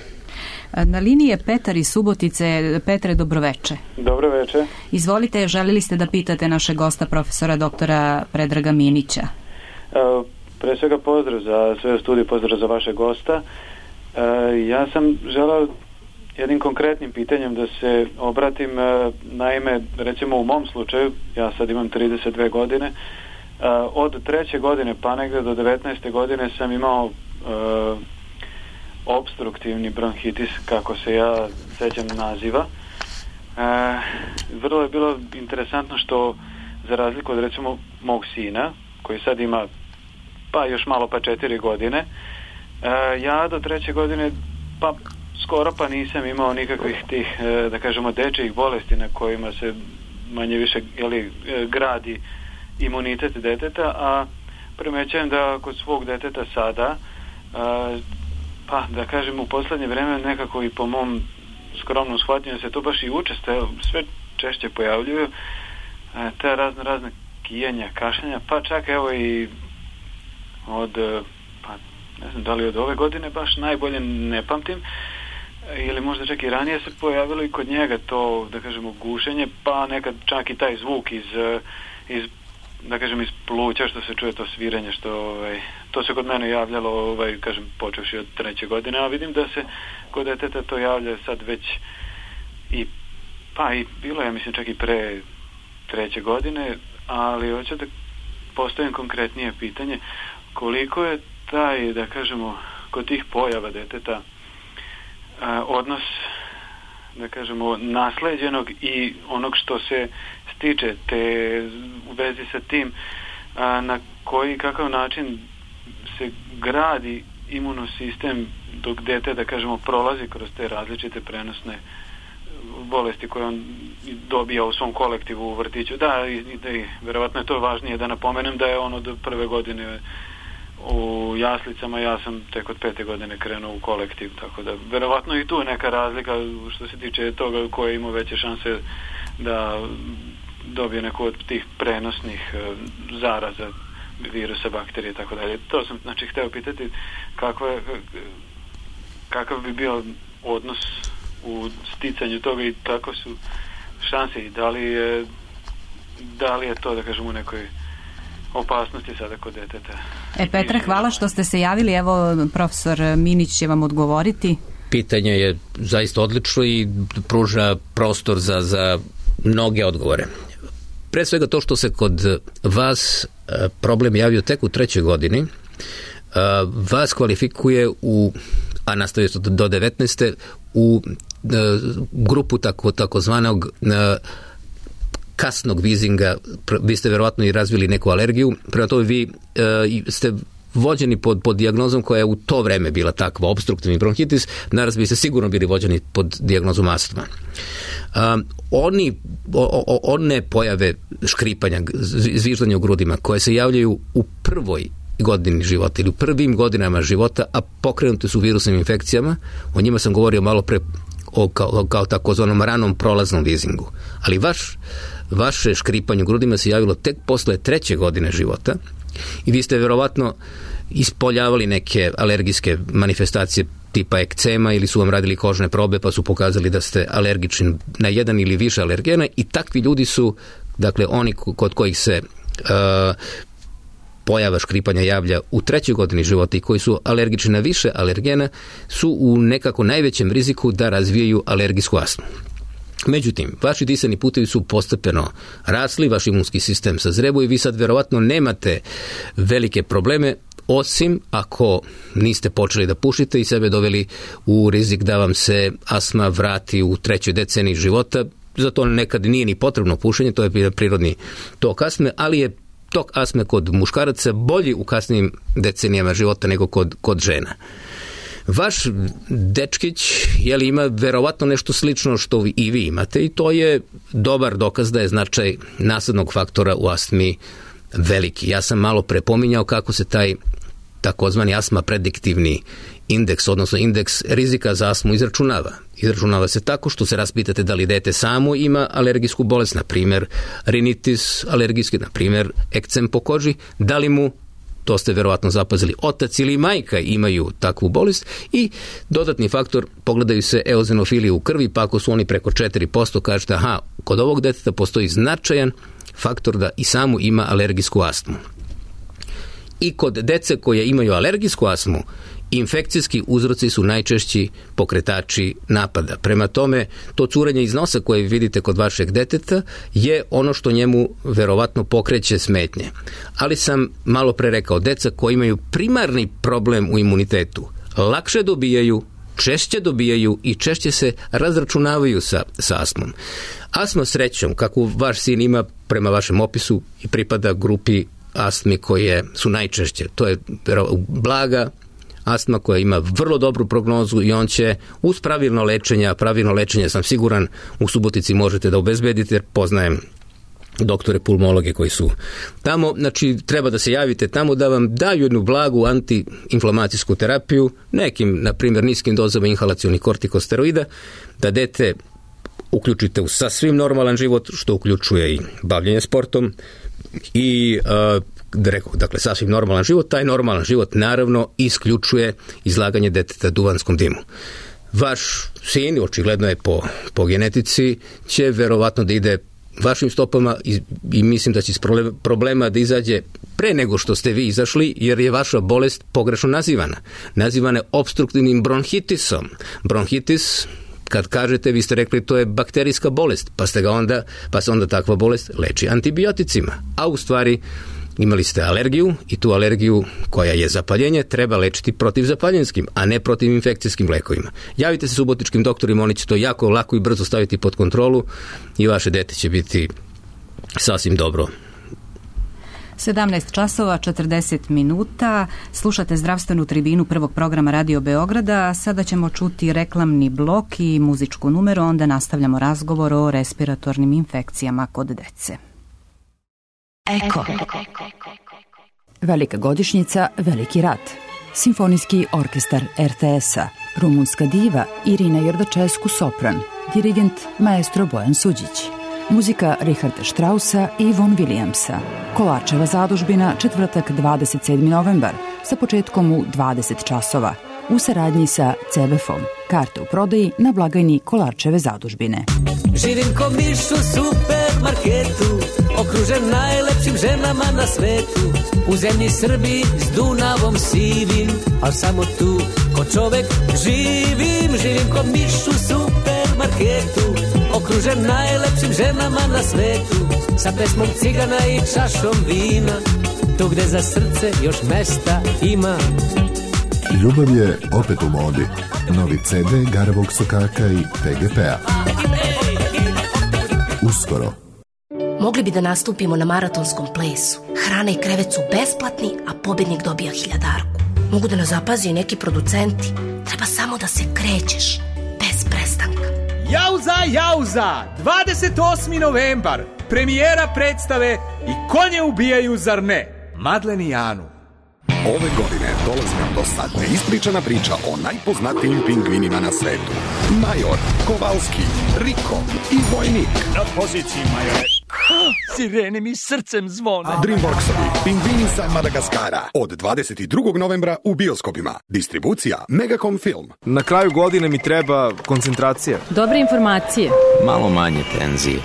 Na liniji je Petar iz Subotice. Petre, dobroveče. Dobroveče. Izvolite, želili ste da pitate našeg gosta, profesora doktora Predraga Minića. Pre svega pozdrav za sve u studiju, pozdrav za vašeg gosta. Ja sam želeo jednim konkretnim pitanjem da se obratim. Naime, recimo u mom slučaju, ja sad imam 32 godine, od 3. godine pa negde do 19. godine sam imao opstruktivni bronhitis, kako se ja sećam naziva. Vrlo je bilo interesantno što, za razliku od recimo mog sina, koji sad ima pa još malo pa 4 godine, ja do 3. godine pa skoro pa nisam imao nikakvih tih, da kažemo, dečijih bolesti na kojima se manje više gradi imunitet deteta, a primećujem da kod svog deteta sada, pa da kažem u poslednje vreme nekako i po mom skromnom shvatanju se to baš i učestalo, sve češće pojavljuju te razne kijenja, kašljanja, pa čak evo i od, pa ne znam da li od ove godine baš najbolje ne pamtim, ili možda čak i ranije se pojavilo i kod njega to, da kažemo, gušenje, pa nekad čak i taj zvuk iz da kažem, iz pluća, što se čuje, to sviranje, što to se kod mene javljalo, kažem, počevši od 3. godine, a vidim da se kod deteta to javlja sad već i bilo je, mislim, čak i pre 3. godine, ali hoću da postavim konkretnije pitanje, koliko je taj, da kažemo, kod tih pojava deteta odnos, da kažemo, nasleđenog i onog što se stiče, te u vezi sa tim na koji, kakav način se gradi imunosistem dok dete, da kažemo, prolazi kroz te različite prenosne bolesti koje on dobija u svom kolektivu u vrtiću. Da, i verovatno je to važnije da napomenem da je on od 1. godine u jaslicama, ja sam tek od 5. godine krenuo u kolektiv, tako da verovatno i tu je neka razlika što se tiče toga ko je imao veće šanse da dobije neku od tih prenosnih zaraza, virusa, bakterije i tako dalje. To sam, znači, hteo pitati kakav bi bio odnos u sticanju toga i kako su šanse i da li je to, da kažem, u nekoj opasnosti sada kod deteta. Petre, hvala što ste se javili. Evo, profesor Minić će vam odgovoriti. Pitanje je zaista odlično i pruža prostor za mnoge odgovore. Pre svega to što se kod vas problem javio tek u 3. godini, vas kvalifikuje a nastavio do 19. u grupu takozvanog kasnog vizinga. Vi ste verovatno i razvili neku alergiju, prema tome vi ste vođeni pod dijagnozom koja je u to vreme bila takva, opstruktivni bronhitis, naraz bi ste sigurno bili vođeni pod dijagnozom astma. one pojave škripanja, zviždanja u grudima koje se javljaju u prvoj godini života ili u prvim godinama života, a pokrenute su virusnim infekcijama, o njima sam govorio malo pre kao takozvanom ranom prolaznom vizingu. Ali vaše škripanje u grudima se javilo tek posle 3. godine života i vi ste verovatno ispoljavali neke alergijske manifestacije tipa ekcema ili su vam radili kožne probe pa su pokazali da ste alergični na jedan ili više alergena i takvi ljudi su, dakle, oni kod kojih se pojava škripanja javlja u 3. godini života i koji su alergični na više alergena su u nekako najvećem riziku da razvijaju alergijsku astmu. Međutim, vaši disani putevi su postepeno rasli, vaš imunski sistem sazrevuje i vi sad verovatno nemate velike probleme, osim ako niste počeli da pušite i sebe doveli u rizik da vam se astma vrati u 3. deceniji života. Zato nekad nije ni potrebno pušenje, to je prirodni tok astme, ali je tok astme kod muškaraca bolji u kasnijim decenijama života nego kod žena. Vaš dečkić ima verovatno nešto slično što i vi imate i to je dobar dokaz da je značaj nasadnog faktora u astmi veliki. Ja sam malo prepominjao kako se taj takozvani astma prediktivni indeks, odnosno indeks rizika za astmu izračunava. Izračunava se tako što se raspitate da li dete samo ima alergijsku bolest, na primjer rinitis alergijski, na primjer ekcem po koži, da li mu, to ste verovatno zapazili, otac ili majka imaju takvu bolest i dodatni faktor, pogledaju se eozenofilije u krvi, pa ako su oni preko 4%, kažete, kod ovog deteta postoji značajan faktor da i samo ima alergijsku astmu. I kod dece koje imaju alergijsku astmu, infekcijski uzroci su najčešći pokretači napada. Prema tome, to curenje iz nosa koje vidite kod vašeg deteta je ono što njemu verovatno pokreće smetnje. Ali sam malo pre rekao, deca koji imaju primarni problem u imunitetu lakše dobijaju, češće dobijaju i češće se razračunavaju sa astmom. Astma, srećom, kako vaš sin ima prema vašem opisu, i pripada grupi astmi koje su najčešće. To je blaga astma koja ima vrlo dobru prognozu i on će uz pravilno lečenje sam siguran u Subotici možete da obezbedite, jer poznajem doktore pulmologe koji su tamo. Znači, treba da se javite tamo da vam daju jednu blagu antiinflamacijsku terapiju, nekim, na primjer, niskim dozama inhalacionih kortikosteroida, da dete uključite u sasvim normalan život, što uključuje i bavljenje sportom i dakle, sasvim normalan život. Taj normalan život naravno isključuje izlaganje deteta duvanskom dimu. Vaš sin, očigledno je po genetici, će verovatno da ide vašim stopama i mislim da će iz problema da izađe pre nego što ste vi izašli, jer je vaša bolest pogrešno nazivana. Nazivana je opstruktivnim bronhitisom. Bronhitis, kad kažete, vi ste rekli to je bakterijska bolest, pa se onda takva bolest leči antibioticima. A u stvari imali ste alergiju i tu alergiju koja je zapaljenje treba lečiti protivzapaljenskim, a ne protiv infekcijskim lekovima. Javite se subotičkim doktorima, oni će to jako lako i brzo staviti pod kontrolu i vaše dete će biti sasvim dobro. 17 časova, 40 minuta. Slušate zdravstvenu tribinu prvog programa Radio Beograda. Sada ćemo čuti reklamni blok i muzičku numeru, onda nastavljamo razgovor o respiratornim infekcijama kod dece. Eko. Velika godišnjica, veliki rat. Simfonijski orkestar RTS-a, rumunska diva Irina Jordačescu sopran, dirigent maestro Bojan Suđić. Muzika Richarda Straussa i Von Williamsa. Kolarčeva zadužbina, četvrtak 27. novembar, sa početkom u 20 časova. U saradnji sa CBF-om. Karte u prodaji na blagajni Kolarčeve zadužbine. Živim ko miš u supermarketu, okružen najlepšim ženama na svetu. U zemlji Srbiji s Dunavom sivim, al samo tu ko čovek živim. Živim ko miš u supermarketu, okružen najlepšim ženama na svetu. Sa pesmom cigana i čašom vina, tu gde za srce još mesta ima. Ljubav je opet u modi. Novi CD Garavog Sokaka i PGP-a. Uskoro. Mogli bi da nastupimo na maratonskom plesu. Hrana i krevet su besplatni, a pobednik dobija 1000. Mogu da nas zapazi i neki producenti. Treba samo da se krećeš, bez prestanka. Jauza, jauza, 28. novembar, premijera predstave I konje ubijaju, zar ne? Madlen i Janu. Ove godine dolazi nam do neispričana priča o najpoznatijim pingvinima na svetu. Major, Kovalski, Riko i Vojnik. Na poziciji, majore. Sirene mi srcem zvone. Dreamworksovi Pingvini sa Madagaskara od 22. novembra u bioskopima. Distribucija Megacom Film. Na kraju godine mi treba koncentracija. Dobre informacije. Malo manje tenzije.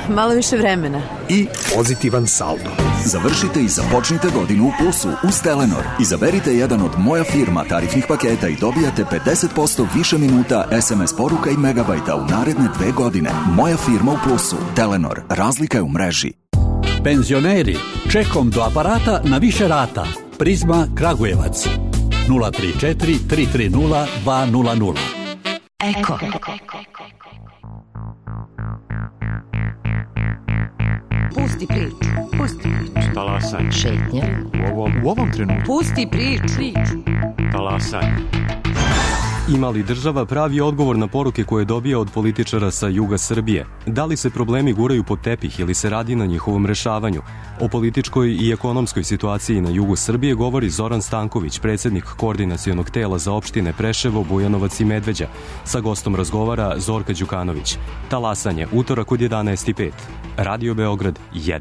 Malo više vremena. I pozitivan saldo. Završite I započnite godinu u plusu uz Telenor. Izaberite jedan od Moja firma tarifnih paketa I dobijate 50% više minuta SMS poruka I megabajta u naredne 2 godine. Moja firma u plusu. Telenor. Razlika je u mreži. Penzioneri, čekom do aparata na više rata. Prizma Kragujevac. 034 330 200. Eko. Pusti priču. Pusti priču. Talasanje. Šetnja. U ovom trenutku. Pusti priču. Talasanje. Ima li država pravi odgovor na poruke koje dobija od političara sa juga Srbije? Da li se problemi guraju pod tepih ili se radi na njihovom rešavanju? O političkoj I ekonomskoj situaciji na jugu Srbije govori Zoran Stanković, predsjednik koordinacionog tela za opštine Preševo, Bujanovac I Medveđa. Sa gostom razgovara Zorka Đukanović. Talasanje, utorak od 11:05. Radio Beograd 1.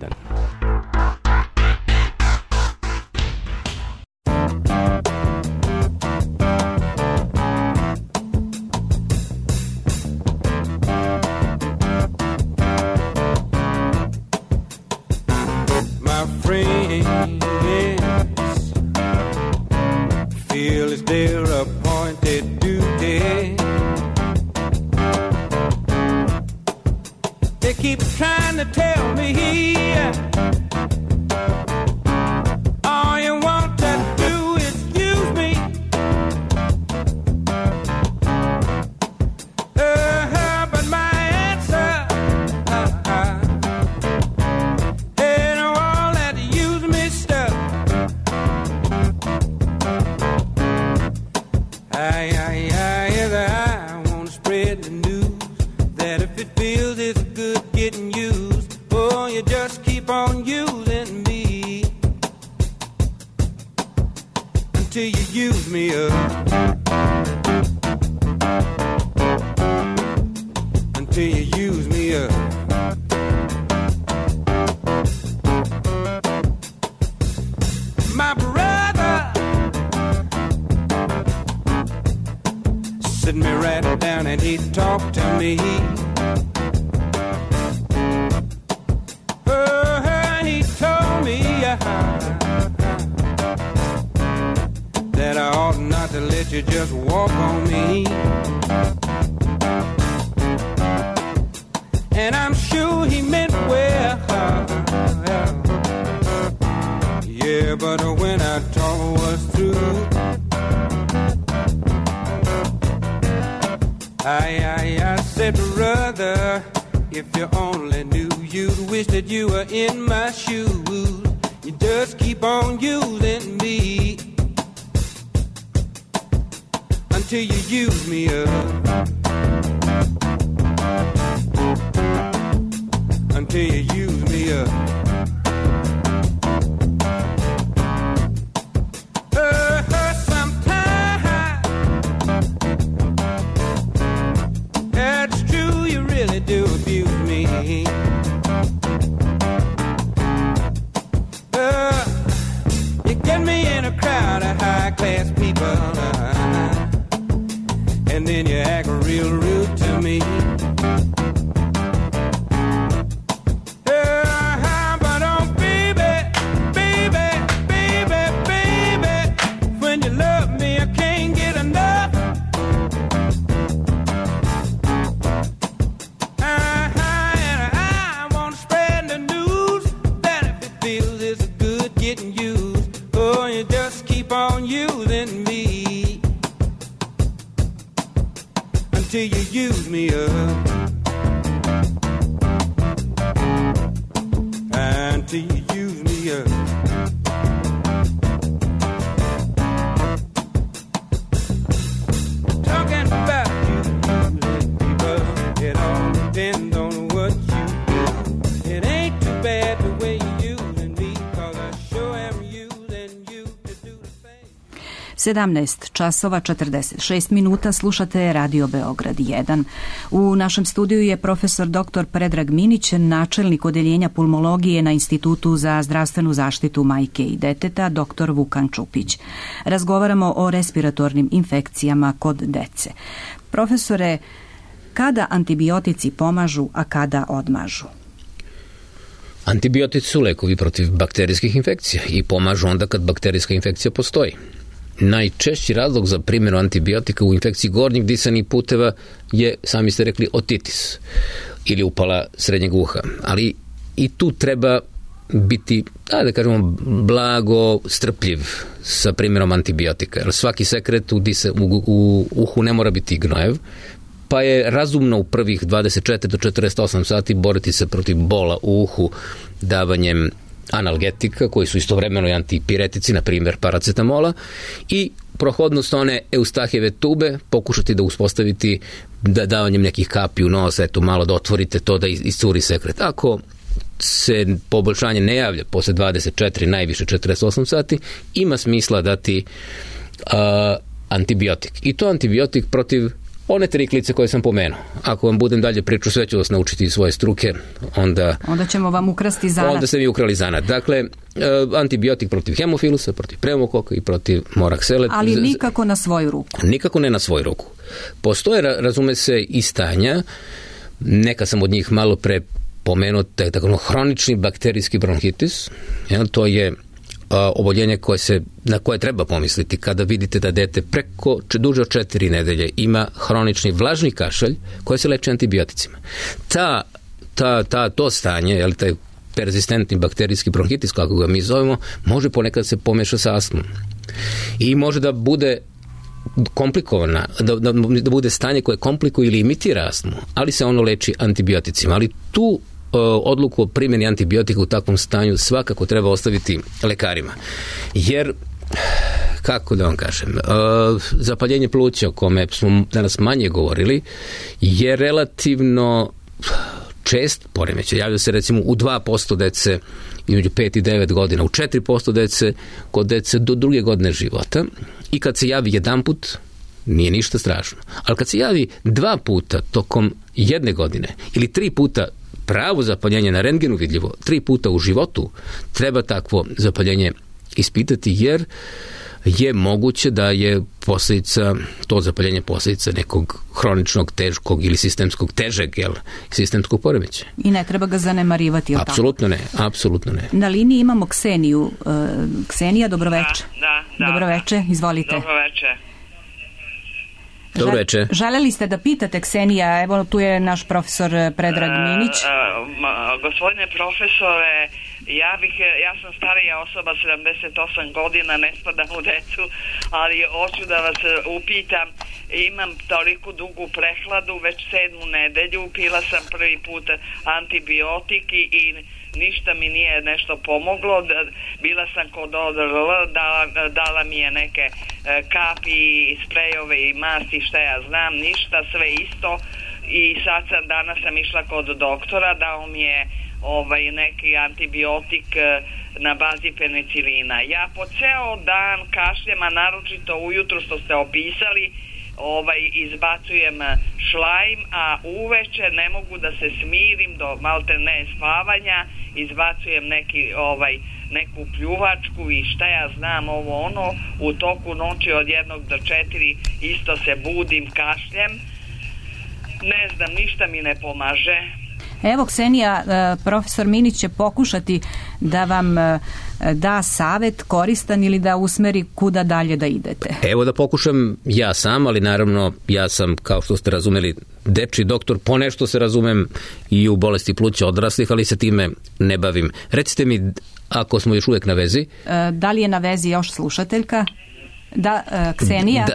Talking about you, people, it all 17 časova 46 minuta, slušate Radio Beograd 1. U našem studiju je profesor dr. Predrag Minić, načelnik odeljenja pulmologije na Institutu za zdravstvenu zaštitu majke i deteta, dr. Vukan Čupić. Razgovaramo o respiratornim infekcijama kod dece. Profesore, kada antibiotici pomažu, a kada odmažu? Antibiotici su lekovi protiv bakterijskih infekcija i pomažu onda kad bakterijska infekcija postoji. Najčešći razlog za primjenu antibiotika u infekciji gornjih disanih puteva je, sami ste rekli, otitis ili upala srednjeg uha. Ali i tu treba biti, da kažemo, blago strpljiv sa primjenom antibiotika. Jer svaki sekret u uhu ne mora biti gnojev, pa je razumno u prvih 24 do 48 sati boriti se protiv bola u uhu davanjem analgetika, koji su istovremeno i antipiretici, na primjer paracetamola, i prohodnost one Eustahijeve tube pokušati da uspostaviti davanjem nekih kapi u nos, eto malo da otvorite to da iscuri sekret. Ako se poboljšanje ne javlja posle 24, najviše 48 sati, ima smisla dati antibiotik. I to antibiotik protiv one triklice koje sam pomenuo. Ako vam budem dalje priču, sve ću vas naučiti iz svoje struke, onda ćemo vam ukrasti zanat. Onda ste mi ukrali zanat. Dakle, antibiotik protiv hemofilusa, protiv pneumokoka i protiv moraksele. Ali nikako na svoju ruku. Nikako ne na svoju ruku. Postoje, razume se, i stanja, neka sam od njih malo pre pomenuo, tako hronični bakterijski bronhitis. To je oboljenje na koje treba pomisliti kada vidite da dete preko duže od 4 nedelje ima hronični vlažni kašalj koji se leči antibioticima. To stanje, taj perzistentni bakterijski bronhitis, kako ga mi zovemo, može ponekad se pomeša sa astmom. I može da bude komplikovana, da bude stanje koje komplikuje ili imitira astmu, ali se ono leči antibioticima. Ali tu odluku o primjeni antibiotika u takvom stanju svakako treba ostaviti lekarima. Jer, kako da vam kažem, zapaljenje pluća, o kome smo danas manje govorili, je relativno čest poremećaj. Javlja se recimo u 2% dece između 5 i 9 godina, u 4% dece kod dece do 2. godine života, i kad se javi jedan put, nije ništa strašno. Ali kad se javi 2 puta tokom 1 godine ili 3 puta pravo zapaljenje na rentgenu vidljivo, 3 puta u životu, treba takvo zapaljenje ispitati, jer je moguće da je to zapaljenje posljedica nekog hroničnog, teškog ili sistemskog sistemskog poremećaja. I ne treba ga zanemarivati, je li tako? Apsolutno ne. Na liniji imamo Kseniju. Ksenija, dobroveče. Da. Dobroveče, izvolite. Dobroveče. Dobroveče. Želeli ste da pitate, Ksenija, evo tu je naš profesor Predrag Minić. Gospodine profesore, ja sam starija osoba, 78 godina, ne spadam u decu, ali hoću da vas upitam, imam toliko dugu prehladu, već 7. nedelju, pila sam prvi put antibiotik i ništa mi nije nešto pomoglo. Bila sam kod ODRL, dala mi je neke kapi, sprejove i masti, šta ja znam, ništa, sve isto. I danas sam išla kod doktora, dao mi je neki antibiotik na bazi penicilina. Ja po ceo dan kašljem, a naročito ujutru što ste opisali, izbacujem šlajm, a uveče ne mogu da se smirim do malte ne spavanja, izbacujem neku pljuvačku i šta ja znam, u toku noći od 1 do 4 isto se budim, kašljem, ne znam, ništa mi ne pomaže. Evo, Ksenija, profesor Minić će pokušati da vam da savet koristan ili da usmeri kuda dalje da idete. Evo da pokušam ja sam, ali naravno ja sam, kao što ste razumeli, dečiji doktor, ponešto se razumem i u bolesti pluća odraslih, ali se time ne bavim. Recite mi, ako smo još uvijek na vezi. Da li je na vezi još slušateljka? Da, Ksenija.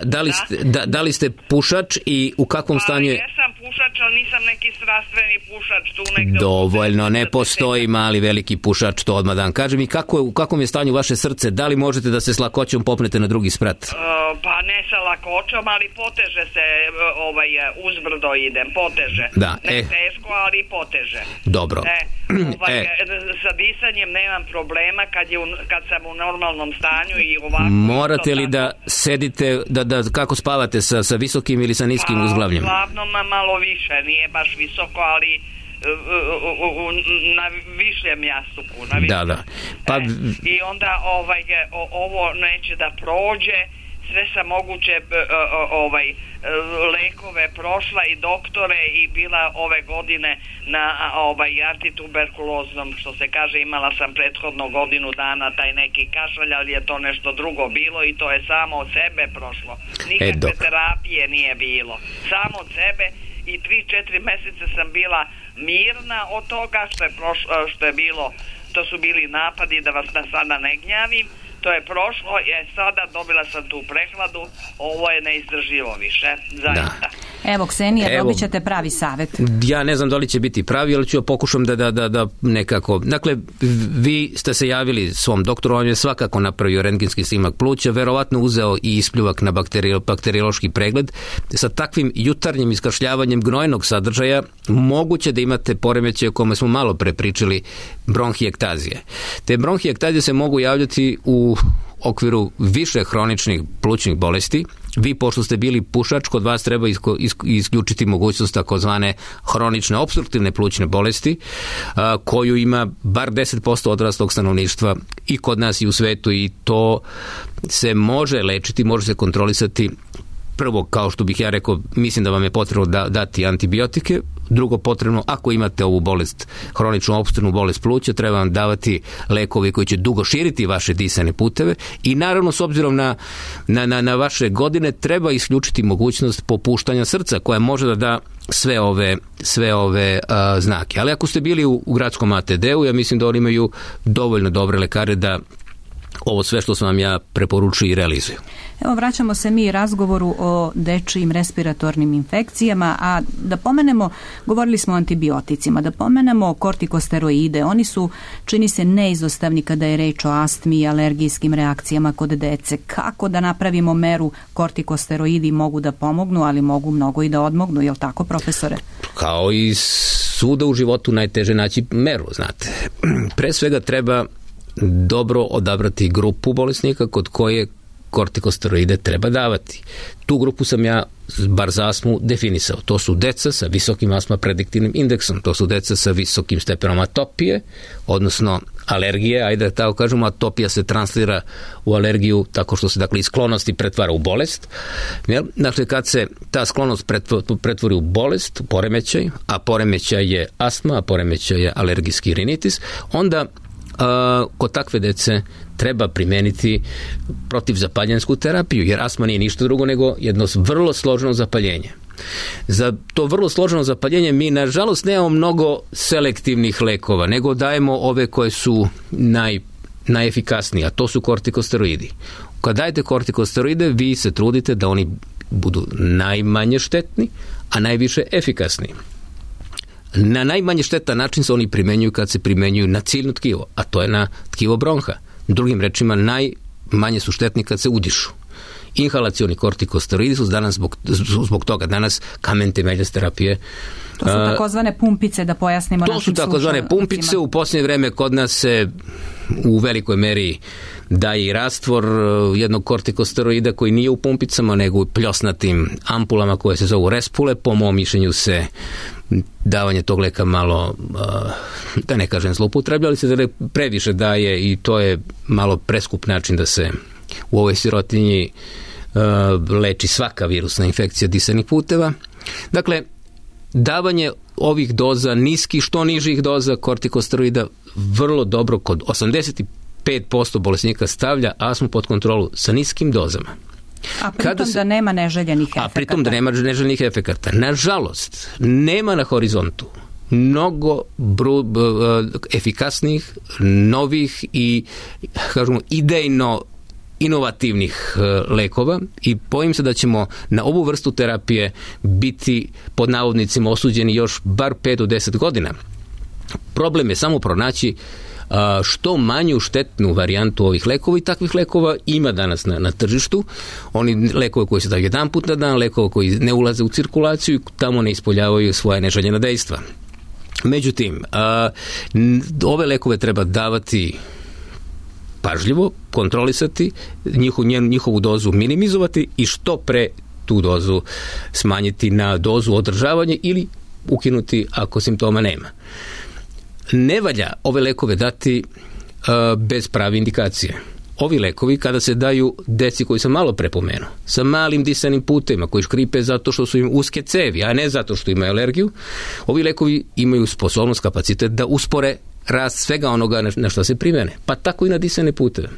Da li ste pušač i u kakvom stanju je? Jesam pušač, ali nisam neki strastveni pušač tu negde. Dovoljno, ne postoji mali veliki pušač, to odmah da vam kažem. I u kakvom je stanju vaše srce? Da li možete da se s lakoćom popnete na drugi sprat? Pa ne sa lakoćom, ali poteže se, uzbrdo idem, poteže. Da, ne teško, ali poteže. Dobro. Sa disanjem nemam problema kad sam u normalnom stanju i ovako. Morate li da sedite, da kako spavate, sa visokim ili sa niskim uzglavljem? Uglavnom malo više, nije baš visoko, ali na višljem jastuku. Da. Pa... I onda ovo neće da prođe, sve sam moguće lekove prošla i doktore i bila ove godine na antituberkuloznom, što se kaže, imala sam prethodno godinu dana taj neki kašalj, ali je to nešto drugo bilo i to je samo od sebe prošlo. Nikakve terapije nije bilo. Samo od sebe i 3-4 meseca sam bila mirna od toga što je bilo, to su bili napadi, da vas sada ne gnjavim. To je prošlo, sada dobila sam tu prehladu, ovo je neizdrživo više, zaista. Evo, Ksenija, dobit ćete pravi savjet. Ja ne znam da li će biti pravi, ali ću pokušam da nekako... Dakle, vi ste se javili svom doktoru, on je svakako napravio rentgenski snimak pluća, verovatno uzeo i ispljuvak na bakteriološki pregled. Sa takvim jutarnjim iskašljavanjem gnojnog sadržaja moguće da imate poremećaje o kome smo malo pre pričali, bronhijektazije. Te bronhijektazije se mogu javljati u okviru više hroničnih plućnih bolesti. Vi, pošto ste bili pušač, kod vas treba isključiti mogućnost takozvane hronične opstruktivne plućne bolesti, koju ima bar 10% odraslog stanovništva i kod nas i u svetu, i to se može lečiti, može se kontrolisati. Prvo, kao što bih ja rekao, mislim da vam je potrebno dati antibiotike. Drugo, potrebno, ako imate ovu bolest, hroničnu opstruktivnu bolest pluća, treba vam davati lekovi koji će dugo širiti vaše disane puteve i naravno, s obzirom na vaše godine, treba isključiti mogućnost popuštanja srca koja može da da sve ove znake. Ali ako ste bili u gradskom ATD-u, ja mislim da oni imaju dovoljno dobre lekare da ovo sve što sam vam ja preporučio i realizuju. Evo, vraćamo se mi razgovoru o dečijim respiratornim infekcijama, a da pomenemo, govorili smo o antibioticima, da pomenemo kortikosteroide. Oni su, čini se, neizostavni kada je reč o astmi i alergijskim reakcijama kod dece. Kako da napravimo meru? Kortikosteroidi mogu da pomognu, ali mogu mnogo i da odmognu, je li tako, profesore? Kao i svuda u životu najteže naći meru, znate. Pre svega treba dobro odabrati grupu bolesnika kod koje kortikosteroide treba davati. Tu grupu sam ja, bar za astmu, definisao. To su deca sa visokim astma prediktivnim indeksom, to su deca sa visokim stepenom atopije, odnosno alergije, ajde da tako kažemo, atopija se translira u alergiju tako što se, dakle, iz sklonosti pretvara u bolest. Dakle, kad se ta sklonost pretvori u bolest, poremećaj, a poremećaj je astma, a poremećaj je alergijski rinitis, onda kod takve dece treba primeniti protivzapaljensku terapiju, jer astma nije ništa drugo nego jedno vrlo složeno zapaljenje. Za to vrlo složeno zapaljenje mi, nažalost, nemamo mnogo selektivnih lekova, nego dajemo ove koje su najefikasnije, a to su kortikosteroidi. Kad dajete kortikosteroide, vi se trudite da oni budu najmanje štetni, a najviše efikasni. Na najmanje štetan način se oni primenjuju kad se primenjuju na ciljno tkivo, a to je na tkivo bronha. Drugim rečima, najmanje su štetni kad se udišu. Inhalacioni kortikosteroidi su danas zbog toga danas kamen temeljac terapije. To su takozvane pumpice, da pojasnimo našim slušalcima. To su takozvane pumpice. U posljednje vreme kod nas se u velikoj meri daje i rastvor jednog kortikosteroida koji nije u pumpicama, nego u pljosnatim ampulama koje se zovu Respule. Po mom mišljenju se davanje tog leka malo, da ne kažem zloupotreblja, ali se previše daje i to je malo preskup način da se u ovoj sirotinji leči svaka virusna infekcija disanih puteva. Dakle, davanje ovih doza, što nižih doza kortikosteroida, vrlo dobro kod 85% bolesnika stavlja astmu pod kontrolu sa niskim dozama. A pritom da nema neželjenih efekata. A pritom da nema neželjenih efekata. Nažalost, nema na horizontu mnogo efikasnih, novih i, kažemo, idejno inovativnih lekova i bojim se da ćemo na ovu vrstu terapije biti, pod navodnicima, osuđeni još bar 5 do 10 godina. Problem je samo pronaći što manju štetnu varijantu ovih lekova, i takvih lekova ima danas na tržištu. Oni lekove koji se daju jedan put na dan, lekove koji ne ulaze u cirkulaciju i tamo ne ispoljavaju svoje neželjena dejstva. Međutim, ove lekove treba davati pažljivo, kontrolisati, njihovu dozu minimizovati i što pre tu dozu smanjiti na dozu održavanja ili ukinuti ako simptoma nema. Ne valja ove lekove dati bez prave indikacije. Ovi lekovi kada se daju deci koji sam malo prepomenuo, sa malim disanim putevima koji škripe zato što su im uske cevi, a ne zato što imaju alergiju, ovi lekovi imaju sposobnost, kapacitet da uspore rast svega onoga na što se primene, pa tako i na disane puteve.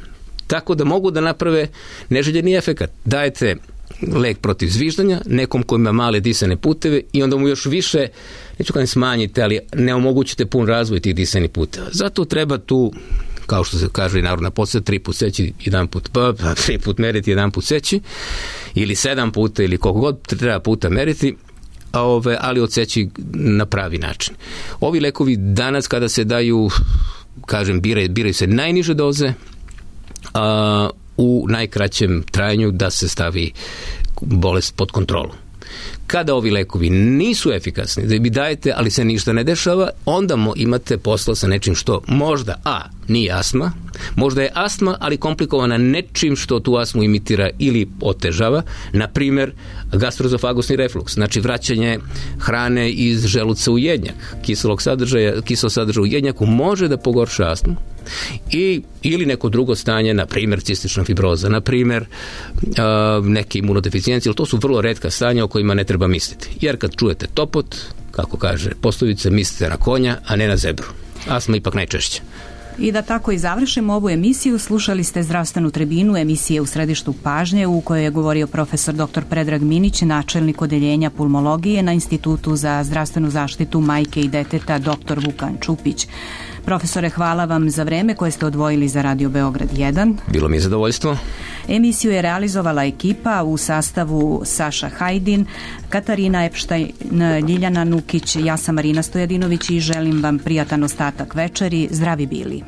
Tako da mogu da naprave neželjeni efekat. Dajete lek protiv zviždanja nekom koji ima male disane puteve i onda mu još više, neću kada smanjite, ali ne omogućite pun razvoj tih disanih puteva. Zato treba tu, kao što se kaže i narodna posljeda, 3 put seći, 1 put 3 put meriti, 1 put seći, ili 7 puta, ili koliko god treba puta meriti, ali odseći na pravi način. Ovi lekovi danas kada se daju, kažem, biraju se najniže doze, u najkraćem trajanju da se stavi bolest pod kontrolu. Kada ovi lekovi nisu efikasni, da vi dajete, ali se ništa ne dešava, onda imate posla sa nečim što možda nije astma, možda je astma, ali komplikovana nečim što tu astmu imitira ili otežava, na primjer gastroezofagusni refluks, znači vraćanje hrane iz želuca u jednjak, kiselog sadržaja u jednjaku može da pogorša astmu, ili neko drugo stanje, na primjer cistična fibroza, na primjer neke imunodeficijencije, ali to su vrlo retka stanja o kojima ne treba misliti. Jer kad čujete topot, kako kaže poslovica, mislite na konja, a ne na zebru. Astma ipak najčešće. I da tako i završimo ovu emisiju, slušali ste Zdravstvenu tribinu, emisije U središtu pažnje, u kojoj je govorio profesor dr. Predrag Minić, načelnik odeljenja pulmologije na Institutu za zdravstvenu zaštitu majke i deteta dr. Vukan Čupić. Profesore, hvala vam za vreme koje ste odvojili za Radio Beograd 1. Bilo mi je zadovoljstvo. Emisiju je realizovala ekipa u sastavu Saša Hajdin, Katarina Epštajn, Ljiljana Nukić, ja sam Marina Stojadinović i želim vam prijatan ostatak večeri. Zdravi bili.